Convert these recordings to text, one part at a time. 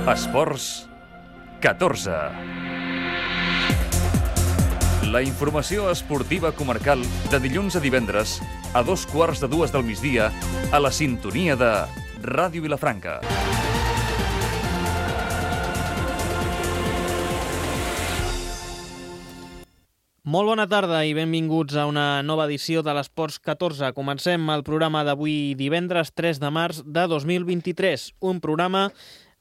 Esports 14. La informació esportiva comarcal de dilluns a divendres a 2:15 del migdia a la sintonia de Ràdio Vilafranca. Molt bona tarda i benvinguts a una nova edició de l'Esports 14. Comencem el programa d'avui divendres 3 de març de 2023, un programa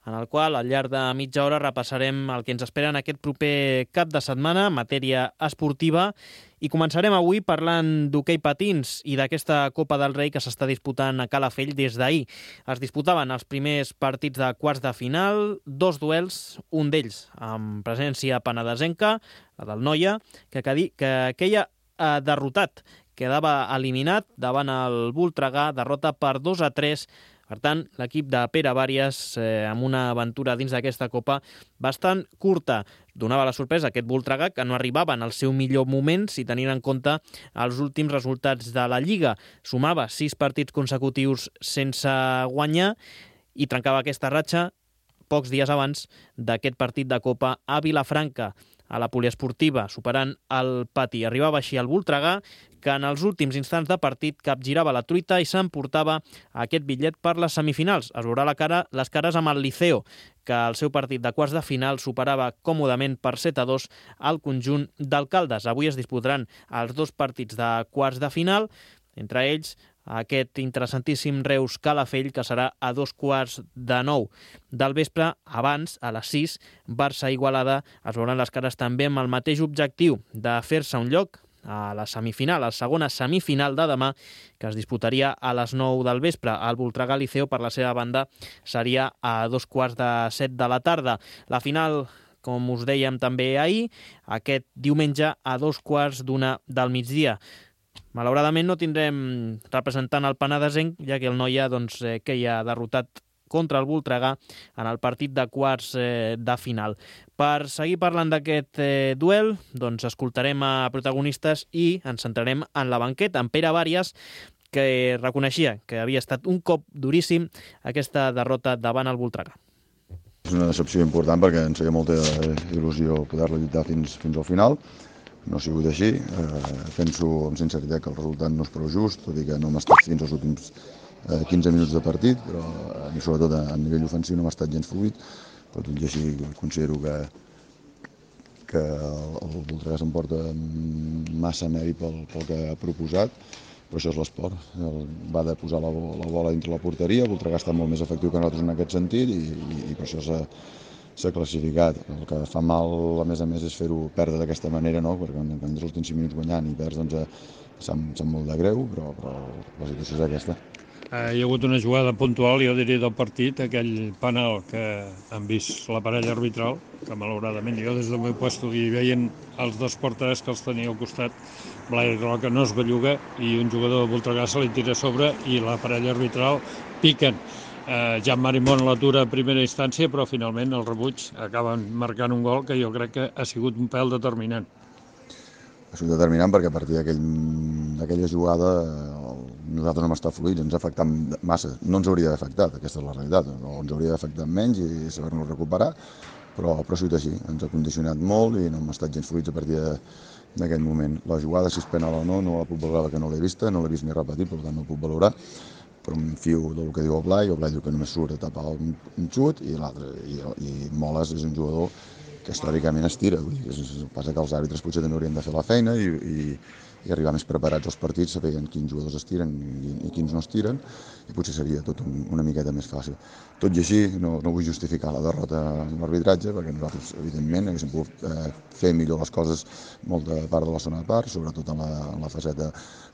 en el qual al llarg de mitja hora repassarem el que ens espera en aquest proper cap de setmana en matèria esportiva i començarem avui parlant d'hoquei patins i d'aquesta Copa del Rei que s'està disputant a Calafell des d'ahir. Es disputaven els primers partits de quarts de final, dos duels, un d'ells amb presència penedesenca, la del Noia, que queia derrotat, quedava eliminat davant el Voltregà, derrota per 2-3. Per tant, l'equip de Pere Bàries, amb una aventura dins d'aquesta Copa bastant curta, donava la sorpresa a aquest Voltregà, que no arribava en el seu millor moment si tenint en compte els últims resultats de la Lliga. Sumava 6 partits consecutius sense guanyar i trencava aquesta ratxa pocs dies abans d'aquest partit de Copa a Vilafranca, a la poliesportiva, superant el Pati. Arribava així el Voltregà, que en els últims instants de partit capgirava la truita i s'emportava aquest bitllet per les semifinals. Es veurà les cares amb el Liceo, que al seu partit de quarts de final superava còmodament per 7-2 al conjunt d'Alcaldes. Avui es disputaran els dos partits de quarts de final, entre ells aquest interessantíssim Reus-Calafell, que serà a 8:45 del vespre. Abans, a les 6, Barça-Igualada. Es veuran les cares també amb el mateix objectiu de fer-se un lloc a la semifinal, a la segona semifinal de demà, que es disputaria a les 9 del vespre. El Voltregà-Liceo, per la seva banda, seria a 2:15 de la tarda. La final, com us dèiem també ahir, aquest diumenge a 2:15 del migdia. Malauradament no tindrem representant el penedesenc, ja que el Noia queia derrotat contra el Voltregà en el partit de quarts de final. Per seguir parlant d'aquest duel, escoltarem a protagonistes i ens centrarem en la banqueta, en Pere Bàries, que reconeixia que havia estat un cop duríssim aquesta derrota davant el Voltregà. És una decepció important perquè ens feia molta il·lusió poder-la lluitar fins al final. No ha sigut així. Penso amb sinceritat que el resultat no és prou just, tot i que no hem estat fins als últims 15 minuts de partit, però sobretot a nivell ofensiu no hem estat gens fluid, però tot i així considero que el Voltregà s'emporta massa mèrit pel que ha proposat, però això és l'esport. Va de posar la bola dintre la porteria, el Voltregà està molt més efectiu que nosaltres en aquest sentit i per això s'ha classificat. El que fa mal, a més, és fer-ho perdre d'aquesta manera, no? Perquè quan tens els últims 5 minuts guanyant i perds, sap molt de greu, però la situació és aquesta. Hi ha hagut una jugada puntual, jo diria, del partit, aquell penal que han vist la parella arbitral, que malauradament jo des del meu lloc hi veien els dos porters que els tenia al costat, Blai Roca no es belluga i un jugador de Voltregà se li tira a sobre i la parella arbitral piquen. Jan Marimón l'atura a primera instància, però finalment el rebuig acaben marcant un gol que jo crec que ha sigut un pèl determinant. Ha sigut determinant perquè a partir d'aquella jugada nosaltres no hem estat fluïts, ens ha afectat massa. No ens hauria d'afectar, aquesta és la realitat. No ens hauria d'afectar menys i saber-nos recuperar, però ha sigut així. Ens ha condicionat molt i no hem estat gens fluïts a partir d'aquest moment. La jugada, si és penal o no la puc valorar perquè no l'he vista, no l'he vist ni repetit, per tant no la puc valorar. Però em fio del que diu el Blai diu que només surt a tapar un xut i l'altre. I Moles és un jugador que històricament es tira. El que passa que els àrbitres potser també haurien de fer la feina i arribar més preparats als partits, sabent quins jugadors es tiren i quins no es tiren, i potser seria tot una miqueta més fàcil. Tot i així, no vull justificar la derrota en l'arbitratge, perquè nosaltres, evidentment, haguéssim pogut fer millor les coses molta part de la segona part, sobretot en la faceta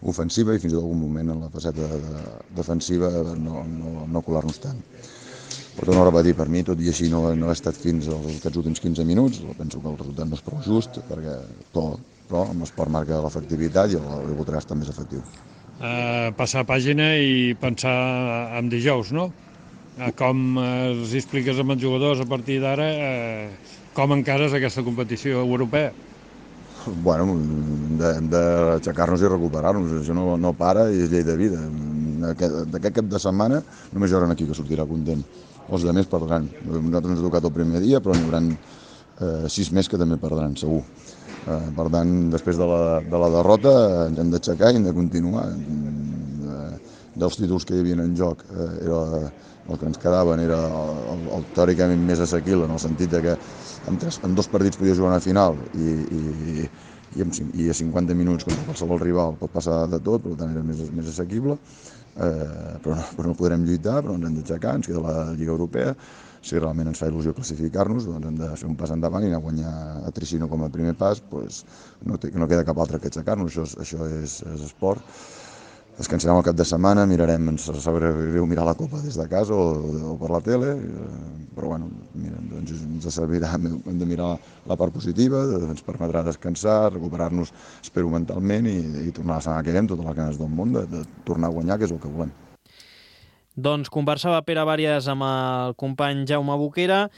ofensiva i fins i tot algun moment en la faceta defensiva no colar-nos tant. Però torno a repetir, per mi, tot i així no ha estat fins aquests últims 15 minuts, penso que el resultat no és prou just, però amb l'esport marca l'efectivitat i el Voltregà està més efectiu. Passar pàgina i pensar en dijous, no? Com els expliques amb els jugadors a partir d'ara, com encares aquesta competició europea? Bueno, hem d'aixecar-nos i recuperar-nos, això no para i és llei de vida. D'aquest cap de setmana només hi haurà un equip que sortirà content els altres perdran. Nosaltres ens ha tocat el primer dia, però n'hi haurà 6 més que també perdran, segur. Per tant, després de la derrota ens hem d'aixecar i hem de continuar. Dels títols que hi havia en joc, el que ens quedaven era el teòricament més assequible, en el sentit que en 2 partits podia jugar una final i a 50 minuts contra qualsevol rival pot passar de tot, per tant era més assequible, però no podrem lluitar, però ens hem d'aixecar, ens queda la Lliga Europea. Si realment ens fa il·lusió classificar-nos, doncs hem de fer un pas endavant i anar a guanyar a Tricino com a primer pas, doncs no queda cap altre que aixecar-nos, això és esport. Descansarem el cap de setmana, mirarem, ens sabrà greu mirar la Copa des de casa o per la tele, però bueno, mira, doncs ens servirà, hem de mirar la part positiva, ens permetrà descansar, recuperar-nos, espero, mentalment i tornar a la setmana que ve amb totes les ganes del món de tornar a guanyar, que és el que volem. Doncs conversava Pere Bàries amb el company Jaume Boquera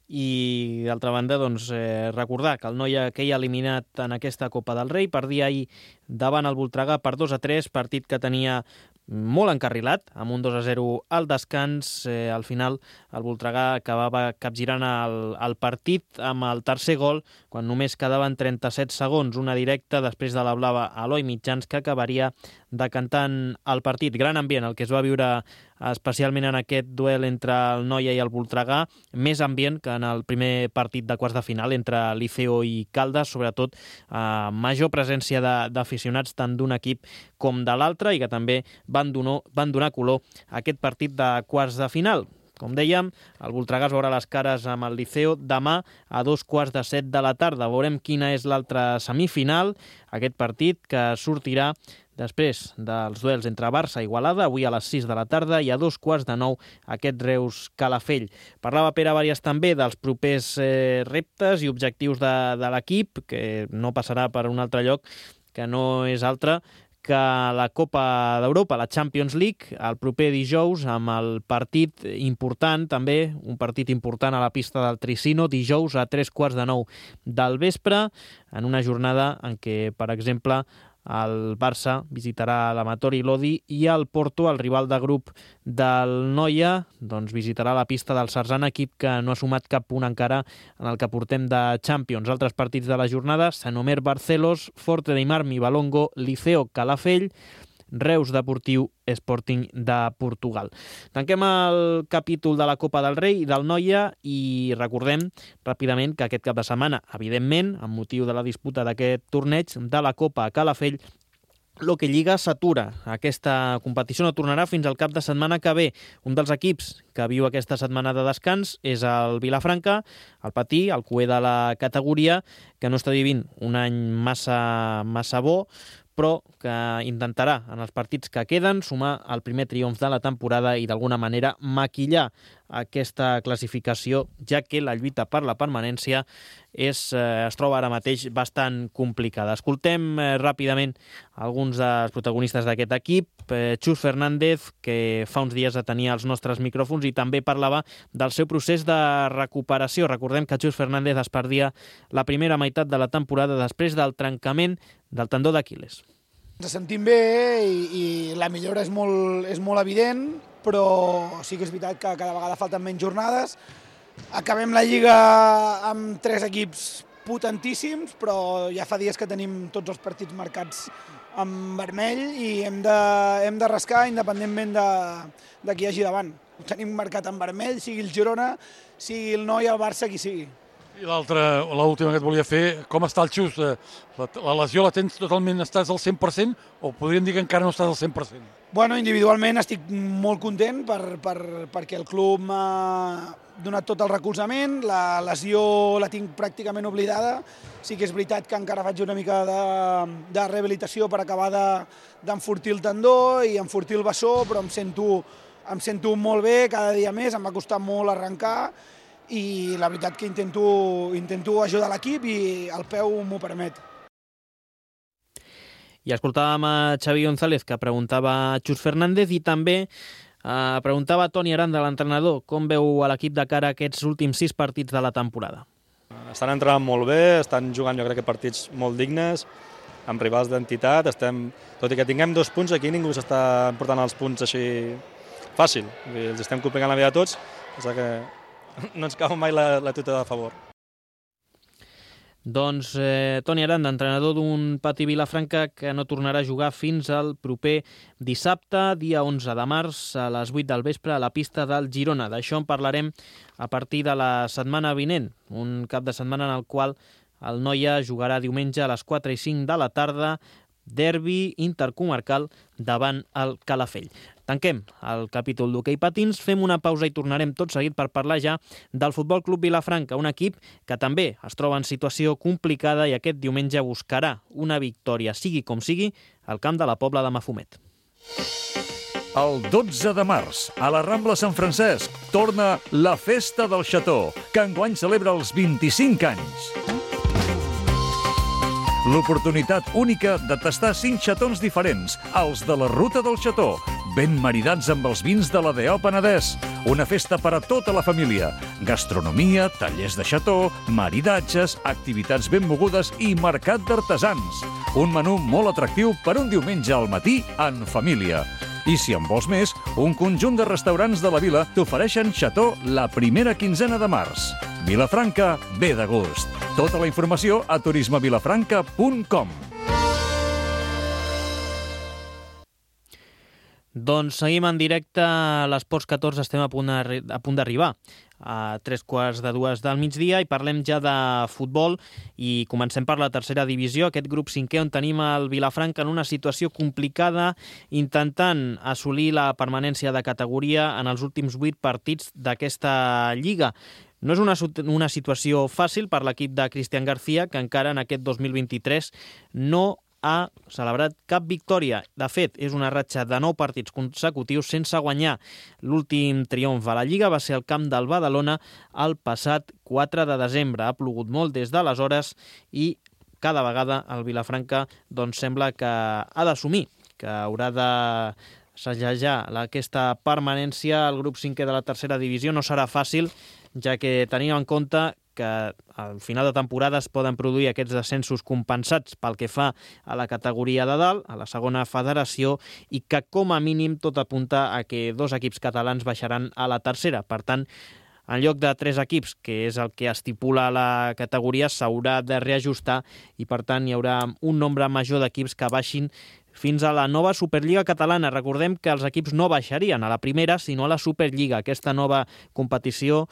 i, d'altra banda, doncs, recordar que el Noia queia eliminat en aquesta Copa del Rei perdia ahir davant el Voltregà per 2-3, partit que tenia molt encarrilat, amb un 2-0 al descans. Al final el Voltregà acabava capgirant el partit amb el tercer gol quan només quedaven 37 segons, una directa després de la blava a Eloi Mitjans que acabaria decantant el partit. Gran ambient el que es va viure especialment en aquest duel entre el Noia i el Voltregà, més ambient que en el primer partit de quarts de final entre Liceo i Caldes, sobretot major presència d'aficionats tant d'un equip com de l'altre i que també van donar color a aquest partit de quarts de final. Com dèiem, el Voltregà es veurà les cares amb el Liceo demà a 7:15 de la tarda. Veurem quina és l'altra semifinal, aquest partit que sortirà després dels duels entre Barça i Igualada, avui a les 6 de la tarda i a 8:45 aquest Reus-Calafell. Parlava Pere Bàries també dels propers reptes i objectius de l'equip, que no passarà per un altre lloc, que no és altre que la Copa d'Europa, la Champions League, el proper dijous, amb el partit important, també un partit important a la pista del Tricino, dijous a 8:45 del vespre, en una jornada en què, per exemple, el Barça visitarà l'Amatori Lodi i el Porto, el rival de grup del Noia, doncs visitarà la pista del Sarzana, equip que no ha sumat cap punt encara en el que portem de Champions. Altres partits de la jornada: Sant Omer Barcelos, Forte dei Marmi Valongo, Liceo Calafell, Reus Deportiu Sporting de Portugal. Tanquem el capítol de la Copa del Rei i del Noia i recordem ràpidament que aquest cap de setmana, evidentment, amb motiu de la disputa d'aquest torneig de la Copa a Calafell, l'Hockey Lliga s'atura. Aquesta competició no tornarà fins al cap de setmana que ve. Un dels equips que viu aquesta setmana de descans és el Vilafranca, el Patí, el cuer de la categoria, que no està vivint un any massa bo, però que intentarà en els partits que queden sumar el primer triomf de la temporada i d'alguna manera maquillar aquesta classificació, ja que la lluita per la permanència es troba ara mateix bastant complicada. Escoltem ràpidament alguns dels protagonistes d'aquest equip. Xus Fernández, que fa uns dies tenia els nostres micròfons i també parlava del seu procés de recuperació. Recordem que Xus Fernández es perdia la primera meitat de la temporada després del trencament del tendó d'Aquil·les. Ens sentim bé i la millora és molt evident, però sí que és veritat que cada vegada falten menys jornades. Acabem la Lliga amb 3 equips potentíssims, però ja fa dies que tenim tots els partits marcats en vermell i hem de rascar independentment de qui hi hagi davant. Ho tenim marcat en vermell, sigui el Girona, sigui el Noia, el Barça, qui sigui. I l'última que et volia fer, com està el Xus? La lesió la tens totalment, estàs al 100% o podríem dir que encara no estàs al 100%? Bueno, individualment estic molt content perquè el club m'ha donat tot el recolzament, la lesió la tinc pràcticament oblidada. Sí que és veritat que encara faig una mica de rehabilitació per acabar d'enfortir el tendó i enfortir el bessó, però em sento molt bé cada dia més, em va costar molt arrencar i la veritat que intento ajudar l'equip i el peu m'ho permet. I escoltàvem a Xavi González, que preguntava a Xus Fernández, i també preguntava a Toni Aranda, l'entrenador, com veu a l'equip de cara a aquests últims 6 partits de la temporada. Estan entrenant molt bé, estan jugant jo crec que partits molt dignes, amb rivals d'entitat. Tot i que tinguem 2 punts, aquí ningú s'està portant els punts així fàcil. Els estem complicant la vida a tots, que no ens cau mai la tuta de favor. Doncs Toni Aranda, entrenador d'un Patí Vilafranca que no tornarà a jugar fins al proper dissabte, dia 11 de març, a les 8 del vespre, a la pista del Girona. D'això en parlarem a partir de la setmana vinent, un cap de setmana en el qual el Noia jugarà diumenge a les 4 i 5 de la tarda, derbi intercomarcal davant el Calafell. Tanquem el capítol d'hoquei patins, fem una pausa i tornarem tot seguit per parlar ja del Futbol Club Vilafranca, un equip que també es troba en situació complicada i aquest diumenge buscarà una victòria, sigui com sigui, al camp de la Pobla de Mafumet. El 12 de març, a la Rambla Sant Francesc, torna la Festa del Xató, que enguany celebra els 25 anys. L'oportunitat única de tastar 5 xatons diferents, els de la Ruta del Xató, ben maridats amb els vins de la D.O. Penedès. Una festa per a tota la família. Gastronomia, tallers de xató, maridatges, activitats ben mogudes i mercat d'artesans. Un menú molt atractiu per un diumenge al matí en família. I si en vols més, un conjunt de restaurants de la vila t'ofereixen xató la primera quinzena de març. Vilafranca ve de gust. Tota la informació a turismevilafranca.com. Doncs seguim en directe a l'Esports 14, estem a punt d'arribar a 3:45 del migdia i parlem ja de futbol i comencem per la tercera divisió, aquest grup 5è on tenim el Vilafranca en una situació complicada intentant assolir la permanència de categoria en els últims 8 partits d'aquesta lliga. No és una situació fàcil per l'equip de Cristian García, que encara en aquest 2023 no ha celebrat cap victòria. De fet, és una ratxa de 9 partits consecutius sense guanyar. L'últim triomf a la Lliga va ser al camp del Badalona el passat 4 de desembre. Ha plogut molt des d'aleshores i cada vegada el Vilafranca doncs, sembla que ha d'assumir, que haurà de segellar aquesta permanència al grup 5è de la tercera divisió. No serà fàcil, ja que tenim en compte que al final de temporada es poden produir aquests descensos compensats pel que fa a la categoria de dalt, a la segona federació, i que com a mínim tot apunta a que 2 equips catalans baixaran a la tercera. Per tant, en lloc de 3 equips, que és el que estipula la categoria, s'haurà de reajustar i per tant hi haurà un nombre major d'equips que baixin fins a la nova Superliga catalana. Recordem que els equips no baixarien a la primera, sinó a la Superliga, aquesta nova competició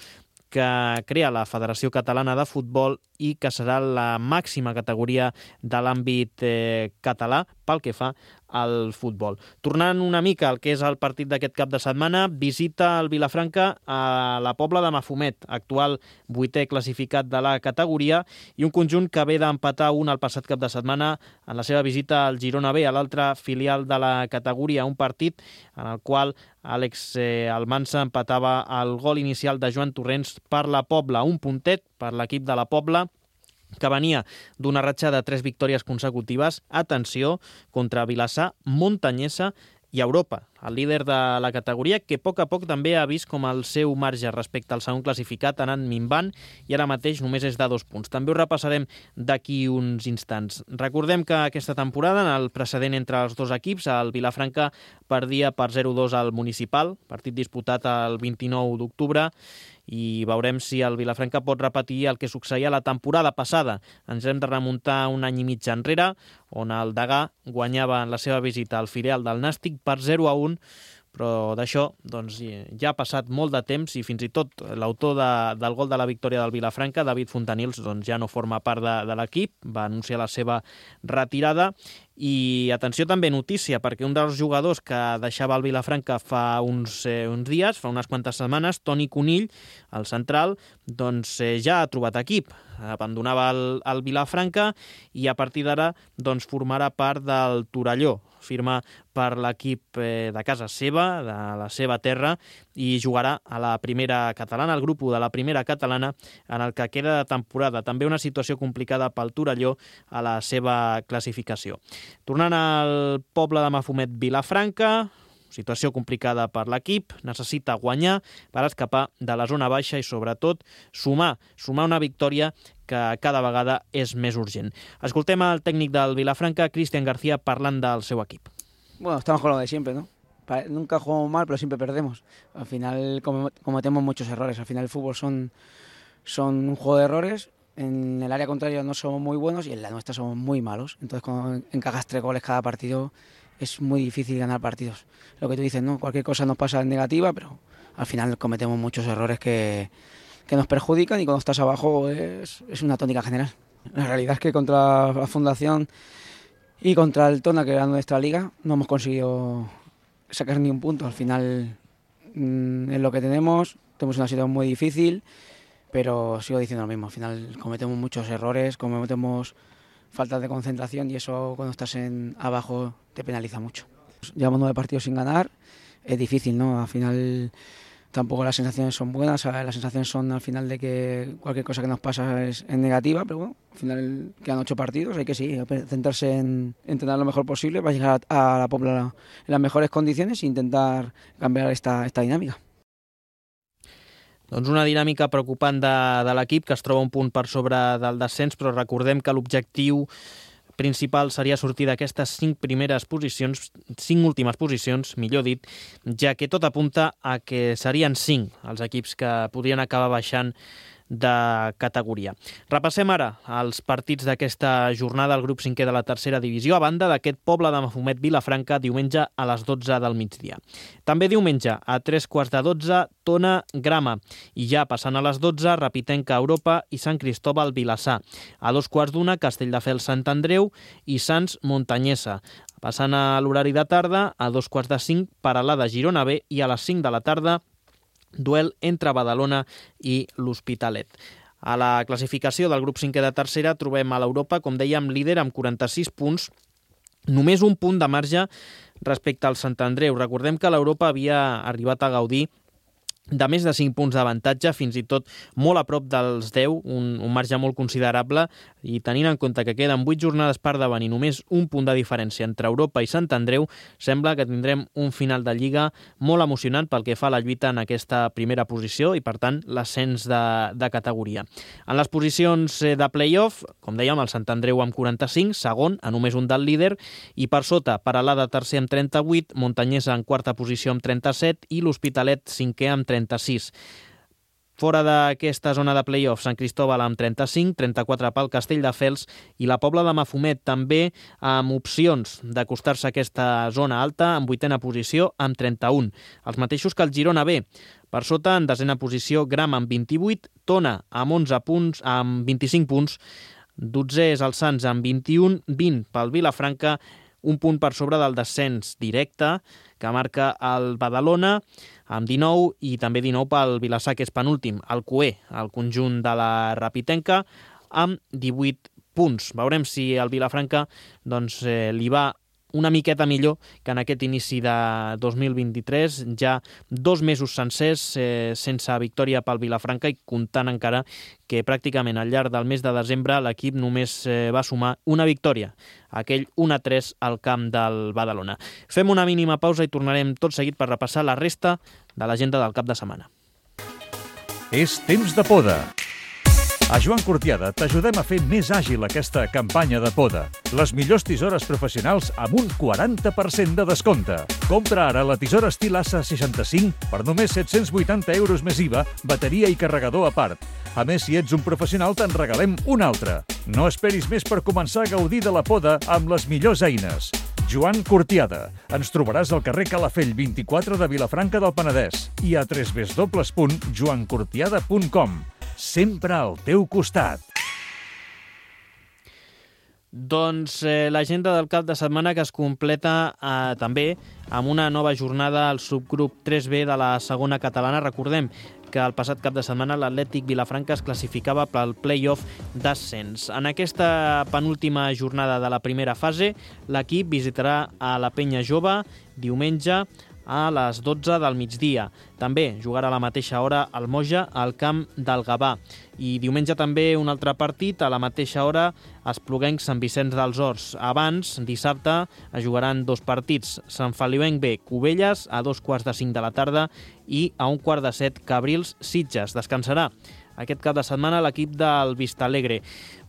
que crea la Federació Catalana de Futbol i que serà la màxima categoria de l'àmbit català pel que fa al futbol. Tornant una mica al que és el partit d'aquest cap de setmana, visita el Vilafranca a la Pobla de Mafumet, actual 8è classificat de la categoria, i un conjunt que ve d'empatar un el passat cap de setmana en la seva visita al Girona B, a l'altra filial de la categoria, un partit en el qual Àlex Almansa empatava el gol inicial de Joan Torrents per la Pobla, un puntet per l'equip de la Pobla, que venia d'una ratxa de 3 victòries consecutives, atenció, contra Vilassar, Montanyesa i Europa, el líder de la categoria, que a poc també ha vist com el seu marge respecte al segon classificat ha anat minvant i ara mateix només és de 2 punts. També ho repassarem d'aquí uns instants. Recordem que aquesta temporada, en el precedent entre els 2 equips, el Vilafranca perdia per 0-2 al Municipal, partit disputat el 29 d'octubre, i veurem si el Vilafranca pot repetir el que succeïa la temporada passada. Ens hem de remuntar un any i mig enrere, on el Degà guanyava en la seva visita al filial del Nàstic per 0-1, però d'això doncs, ja ha passat molt de temps i fins i tot l'autor del gol de la victòria del Vilafranca, David Fontanils, doncs, ja no forma part de l'equip, va anunciar la seva retirada. I atenció també, notícia, perquè un dels jugadors que deixava el Vilafranca fa uns dies, fa unes quantes setmanes, Toni Conill, el central, doncs ja ha trobat equip. Abandonava el Vilafranca i a partir d'ara doncs, formarà part del Torelló. Firma per l'equip de casa seva, de la seva terra, i jugarà a la primera catalana, al grup 1 de la primera catalana, en el que queda de temporada. També una situació complicada pel Torelló a la seva classificació. Tornant al poble de Mafumet, Vilafranca, situació complicada per l'equip, necessita guanyar per escapar de la zona baixa i sobretot sumar una victòria que cada vegada és més urgent. Escoltem el tècnic del Vilafranca, Cristian García, parlant del seu equip. Bueno, estamos con lo de siempre, ¿no? Nunca jugamos mal, pero siempre perdemos. Al final cometemos muchos errores. Al final el fútbol son un juego de errores. En el área contraria no somos muy buenos y en la nuestra somos muy malos. Entonces, cuando encajas 3 goles cada partido, es muy difícil ganar partidos. Lo que tú dices, ¿no? Cualquier cosa nos pasa en negativa, pero al final cometemos muchos errores que nos perjudican y cuando estás abajo es una tónica general. La realidad es que contra la Fundación y contra el Tona, que era nuestra liga, no hemos conseguido sacar ni un punto. Al final es lo que tenemos una situación muy difícil, pero sigo diciendo lo mismo. Al final cometemos muchos errores, cometemos faltas de concentración y eso cuando estás abajo te penaliza mucho. Llevamos 9 partidos sin ganar, es difícil, ¿no? Al final tampoco las sensaciones son buenas, las sensaciones son al final de que cualquier cosa que nos pasa es negativa, pero bueno, al final quedan 8 partidos, hay que centrarse en entrenar lo mejor posible para llegar a la Pobla en las mejores condiciones e intentar cambiar esta dinámica. Doncs una dinàmica preocupant de l'equip, que es troba un punt per sobre del descens, però recordem que l'objectiu principal seria sortir d'aquestes 5 últimes posicions, millor dit, ja que tot apunta a que serien 5 els equips que podrien acabar baixant de categoria. Repassem ara els partits d'aquesta jornada al grup 5è de la tercera divisió, a banda d'aquest Pobla de Mafumet Vilafranca, diumenge a les 12 del migdia. També diumenge a 3:15, Tona Grama, i ja passant a les 12, Rapitenca Europa i Sant Cristóbal Vilassar. A 2:15, Castelldefels Sant Andreu i Sants Montanyesa. Passant a l'horari de tarda, a 2:45, Peralada Girona B, i a les 5 de la tarda, duel entre Badalona i l'Hospitalet. A la classificació del grup 5è de tercera trobem a l'Europa, com dèiem, líder amb 46 punts, només un punt de marge respecte al Sant Andreu. Recordem que l'Europa havia arribat a gaudir de més de 5 punts d'avantatge, fins i tot molt a prop dels 10, un marge molt considerable, i tenint en compte que queden 8 jornades per davant i només un punt de diferència entre Europa i Sant Andreu, sembla que tindrem un final de Lliga molt emocionant pel que fa a la lluita en aquesta primera posició i, per tant, l'ascens de categoria. En les posicions de play-off, com dèiem, el Sant Andreu amb 45, segon, a només un del líder, i per sota, Peralada tercer amb 38, Montanyesa en quarta posició amb 37 i l'Hospitalet cinquè amb 36. Fora d'aquesta zona de play-off, Sant Cristóbal amb 35, 34 pel Castelldefels i la Pobla de Mafumet també amb opcions d'acostar-se a aquesta zona alta en 8a posició amb 31. Els mateixos que el Girona B. Per sota, en 10a posició, Grama amb 28, Tona amb 11 punts, amb 25 punts, 12è és el Sants amb 21, 20 pel Vilafranca, un punt per sobre del descens directe que marca el Badalona amb 19 i també 19 pel Vilassar, que és penúltim, el Cué, el conjunt de la Rapitenca, amb 18 punts. Veurem si el Vilafranca li va una miqueta millor que en aquest inici de 2023, ja 2 mesos sencers sense victòria pel Vilafranca i comptant encara que pràcticament al llarg del mes de desembre l'equip només va sumar una victòria, aquell 1-3 al camp del Badalona. Fem una mínima pausa i tornarem tot seguit per repassar la resta de l'agenda del cap de setmana. És temps de poda. A Joan Cortiada t'ajudem a fer més àgil aquesta campanya de poda. Les millors tisores professionals amb un 40% de descompte. Compra ara la tisora estil Assa 65 per només 780 euros més IVA, bateria i carregador a part. A més, si ets un professional, te'n regalem una altra. No esperis més per començar a gaudir de la poda amb les millors eines. Joan Cortiada. Ens trobaràs al carrer Calafell 24 de Vilafranca del Penedès i a www.joancortiada.com. Sempre al teu costat. Doncs l'agenda del cap de setmana que es completa també amb una nova jornada al subgrup 3B de la segona catalana. Recordem que el passat cap de setmana l'Atlètic Vilafranca es classificava pel play-off d'ascens. En aquesta penúltima jornada de la primera fase, l'equip visitarà a la Penya Jove diumenge a les 12 del migdia. També jugarà a la mateixa hora al Moja al camp del Gavà. I diumenge també un altre partit a la mateixa hora Espluguenc Sant Vicenç dels Horts. Abans, dissabte, es jugaran 2 partits. Sant Feliuenc B, Cubelles, a 2:45 de la tarda i a 1:15 Cabrils Sitges. Descansarà aquest cap de setmana l'equip del Vistalegre.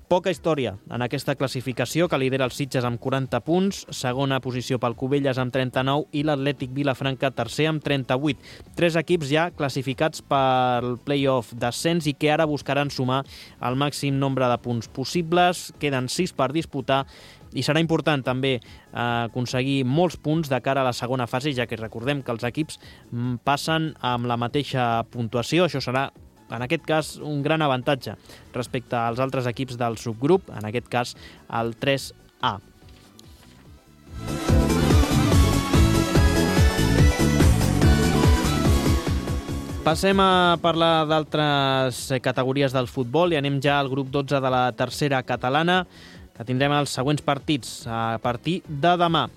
Poca història en aquesta classificació, que lidera el Sitges amb 40 punts, segona posició pel Cubelles amb 39 i l'Atlètic Vilafranca tercer amb 38. 3 equips ja classificats pel play-off d'ascens i que ara buscaran sumar el màxim nombre de punts possibles. Queden 6 per disputar i serà important també aconseguir molts punts de cara a la segona fase, ja que recordem que els equips passen amb la mateixa puntuació. Això serà, en aquest cas, un gran avantatge respecte als altres equips del subgrup, en aquest cas el 3A. Passem a parlar d'altres categories del futbol i anem ja al grup 12 de la tercera catalana, que tindrem els següents partits a partir de demà.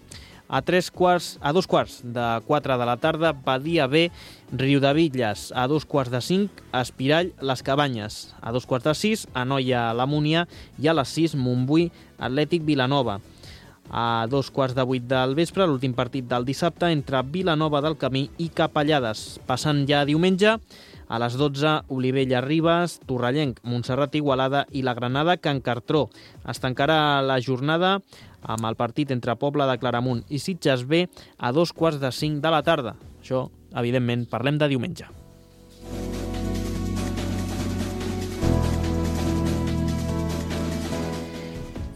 A 2:45 de la tarda, Badia B, Riudebitlles. A 2:45, Espirall, Les Cabanyes. A 2:45, Anoia, la Múnia. I a les 6, Montbui, Atlètic Vilanova. A 2:15 del vespre, l'últim partit del dissabte, entre Vilanova del Camí i Capellades. Passant ja diumenge, a les 12, Olivella Ribes, Torrellenc, Montserrat Igualada i la Granada Can Cartró. Es tancarà la jornada amb el partit entre Pobla de Claramunt i Sitges B a 2:45 de la tarda. Això, evidentment, parlem de diumenge.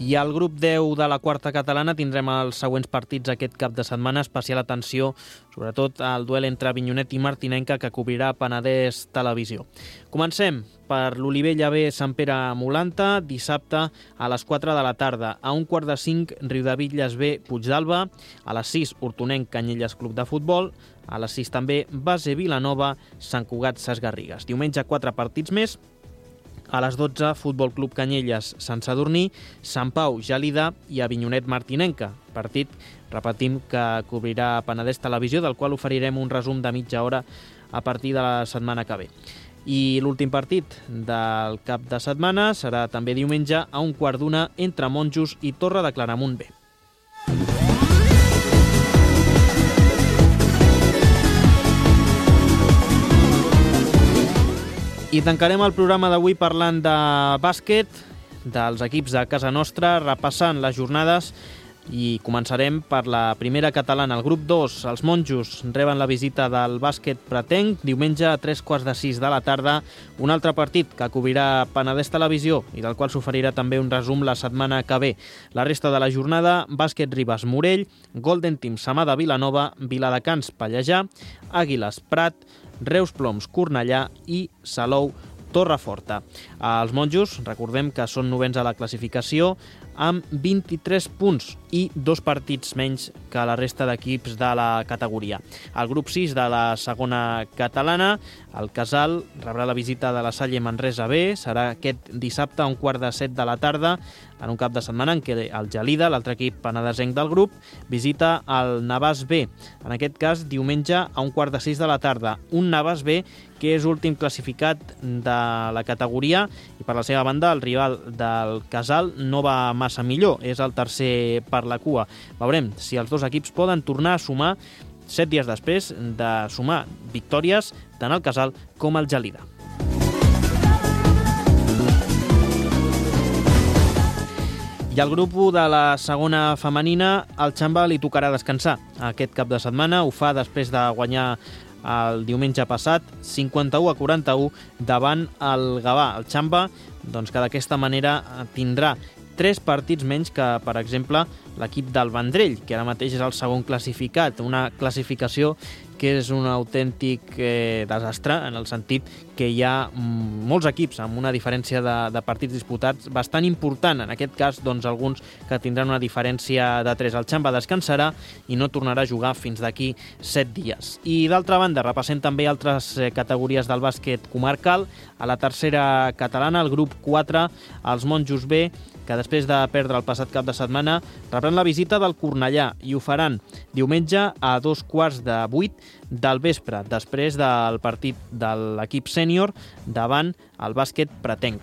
I al grup 10 de la quarta catalana tindrem els següents partits aquest cap de setmana. Especial atenció, sobretot, al duel entre Avinyonet i Martinenca, que cobrirà Penedès Televisió. Comencem per l'Olivella B, Sant Pere Molanta, dissabte a les 4 de la tarda. A 1:45, Riudebitlles B, Puigdàlber. A les 6, Hortonenc, Canyelles Club de Futbol. A les 6 també, Base Vilanova, Sant Cugat, Ses Garrigues. Diumenge 4 partits més. A les 12, Futbol Club Canyelles, Sant Sadurní, Sant Pau, Gelida i Avinyonet Martinenca. Partit, repetim, que cobrirà Penedès Televisió, del qual oferirem un resum de mitja hora a partir de la setmana que ve. I l'últim partit del cap de setmana serà també diumenge a 1:15 entre Monjos i Torre de Claramunt B. I tancarem el programa d'avui parlant de bàsquet, dels equips de casa nostra, repassant les jornades, i començarem per la primera catalana. El grup 2, els Monjos, reben la visita del bàsquet Pretenc, diumenge a 3:15 de la tarda, un altre partit que cobrirà Penedès Televisió i del qual s'oferirà també un resum la setmana que ve. La resta de la jornada, bàsquet Ribes Morell, Golden Team Samà de Vilanova, Viladecans Pallejà, Àguiles Prat, Reus Ploms Cornellà i Salou Torreforta. Els Monjos, recordem que són novens a la classificació amb 23 punts i 2 partits menys que la resta d'equips de la categoria. El grup 6 de la segona catalana, el Casal, rebrà la visita de la Salle Manresa B, serà aquest dissabte a 1:15 de la tarda, en un cap de setmana en què el Gelida, l'altre equip penedesenc del grup, visita el Navàs B, en aquest cas diumenge a 1:15 de la tarda. Un Navàs B que és últim classificat de la categoria i per la seva banda el rival del Casal no va massa millor, és el tercer per la cua. Veurem si els dos equips poden tornar a sumar 7 dies després de sumar victòries tant el Casal com el Gelida. I al grup 1 de la segona femenina, el Xamba li tocarà descansar aquest cap de setmana. Ho fa després de guanyar el diumenge passat 51-41 davant el Gavà. El Xamba, doncs, que d'aquesta manera tindrà 3 partits menys que, per exemple, l'equip del Vendrell, que ara mateix és el segon classificat. Una classificació que és un autèntic desastre, en el sentit que hi ha molts equips amb una diferència de partits disputats bastant important. En aquest cas, doncs, alguns que tindran una diferència de 3. El Xamba descansarà i no tornarà a jugar fins d'aquí 7 dies. I d'altra banda, repassem també altres categories del bàsquet comarcal. A la tercera catalana, el grup 4, els Monjos B, que després de perdre el passat cap de setmana rebran la visita del Cornellà i ho faran diumenge a 7:15 del vespre, després del partit de l'equip sènior davant el bàsquet Pretenc.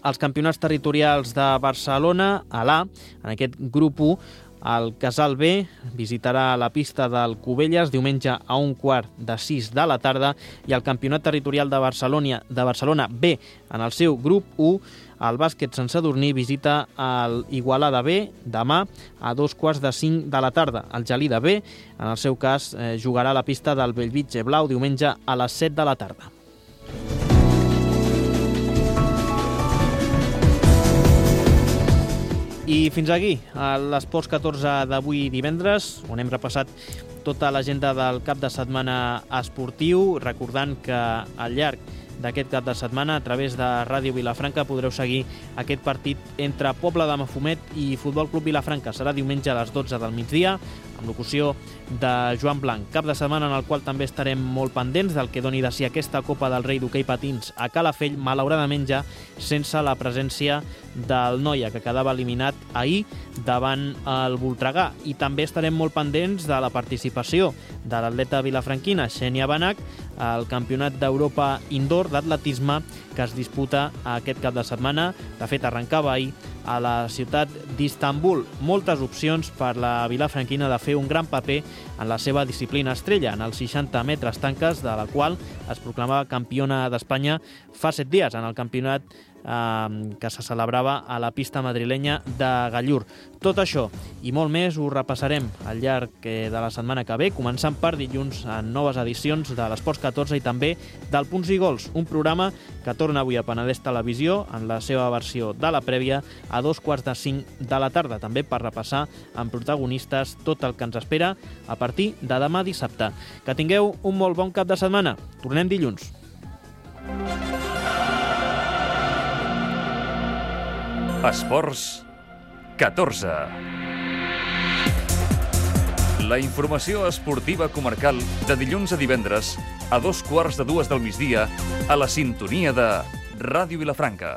Els campionats territorials de Barcelona, a l'A, en aquest grup 1, El Casal B visitarà la pista del Cubelles diumenge a 5:15 de la tarda i el Campionat Territorial de Barcelona B en el seu grup 1, el bàsquet Sant Sadurní visita el Igualada B demà a 4:45 de la tarda. El Gelida B, en el seu cas, jugarà a la pista del Bellvitge Blau diumenge a les 7 de la tarda. I fins aquí l'Esports 14 d'avui divendres, on hem repassat tota l'agenda del cap de setmana esportiu, recordant que al llarg d'aquest cap de setmana, a través de Ràdio Vilafranca, podreu seguir aquest partit entre Pobla de Mafumet i Futbol Club Vilafranca. Serà diumenge a les 12 del migdia, amb locució de Joan Blanc. Cap de setmana en el qual també estarem molt pendents del que doni de si aquesta Copa del Rei d'hoquei patins a Calafell, malauradament ja sense la presència del Noia, que quedava eliminat ahir davant el Voltregà. I també estarem molt pendents de la participació de l'atleta vilafranquina Xènia Benach al Campionat d'Europa Indoor d'atletisme que es disputa aquest cap de setmana. De fet, arrencava ahir a la ciutat d'Istanbul. Moltes opcions per la vilafranquina de fer un gran paper en la seva disciplina estrella, en els 60 metres tanques, de la qual es proclamava campiona d'Espanya fa 7 dies, en el campionat que se celebrava a la pista madrilenya de Gallur. Tot això i molt més ho repassarem al llarg de la setmana que ve, començant per dilluns en noves edicions de l'Esports 14 i també del Punts i Gols, un programa que torna avui a Penedès Televisió en la seva versió de la prèvia a 4:45 de la tarda, també per repassar amb protagonistes tot el que ens espera a partir de demà dissabte. Que tingueu un molt bon cap de setmana. Tornem dilluns. Esports 14. La informació esportiva comarcal de dilluns a divendres a 2:15 del migdia a la sintonia de Ràdio Vilafranca.